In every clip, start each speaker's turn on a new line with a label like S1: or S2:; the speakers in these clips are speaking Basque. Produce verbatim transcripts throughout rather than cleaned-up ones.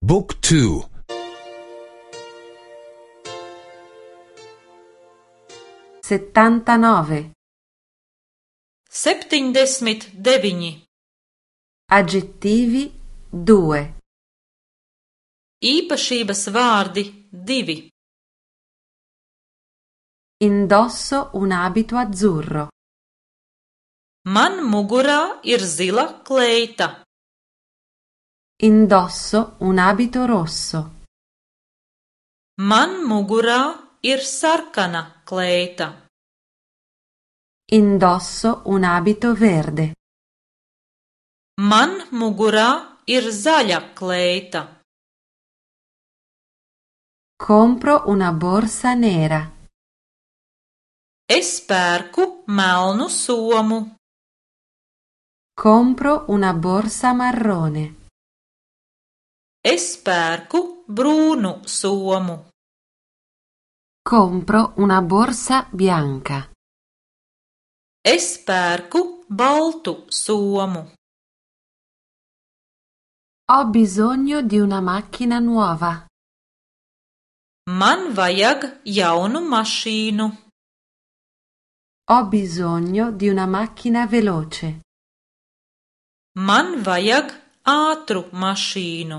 S1: บุ๊กทู
S2: settantanove
S3: septiņdesmit deviņi.
S2: Aggettivi due.
S3: Īpašības vārdi divi.
S2: Indosso un abito azzurro.
S3: Man mugurā ir zila kleita.
S2: Indosso un abito rosso.
S3: Man mugurā ir sarkana kleita.
S2: Indosso un abito verde.
S3: Man mugurā ir zaļa kleita.
S2: Compro una borsa nera.
S3: Es pērku melnu somu.
S2: Compro una borsa marrone.
S3: Es pērku brūnu somu.
S2: Compro una borsa bianca.
S3: Es pērku baltu somu.
S2: Ho bisogno di una macchina nuova.
S3: Man vajag jaunu mašīnu.
S2: Ho bisogno di una macchina veloce.
S3: Man vajag ātru mašīnu.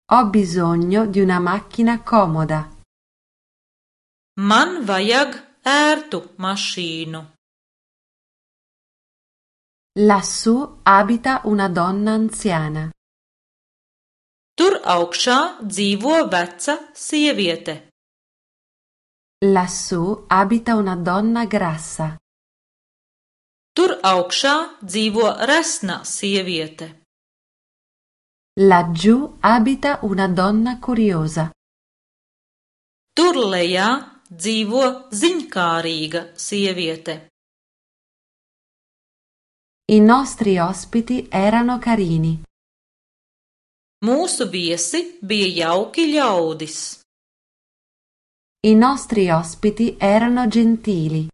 S2: Ho bisogno di una macchina comoda.
S3: Man vajag ērtu mašīnu.
S2: Lassù abita una donna anziana.
S3: Tur augšā dzīvo veca sieviete.
S2: Lassù abita una donna grassa.
S3: Tur augšā dzīvo resna sieviete.
S2: Laggiù abita una donna curiosa.
S3: Tur lejā dzīvo ziņkārīga sieviete.
S2: I nostri ospiti erano carini.
S3: Mūsu viesi bija jauki ļaudis.
S2: I nostri ospiti erano gentili.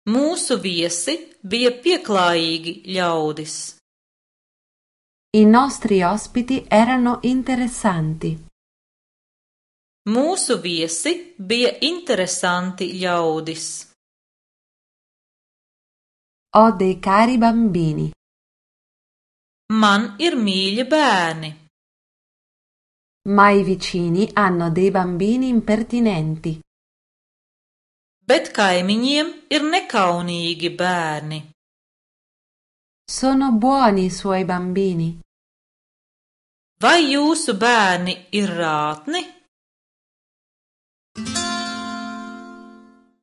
S3: Mūsu viesi bija pieklājīgi ļaudis.
S2: I nostri ospiti erano interessanti.
S3: Mūsu viesi bija interesanti ļaudis.
S2: Ho dei cari bambini.
S3: Man ir mīļi bērni.
S2: Ma i vicini hanno dei bambini impertinenti.
S3: Bet kaimiņiem ir nekaunīgi bērni.
S2: Sono buoni i suoi bambini.
S3: Vai jūsu bērni ir rātni?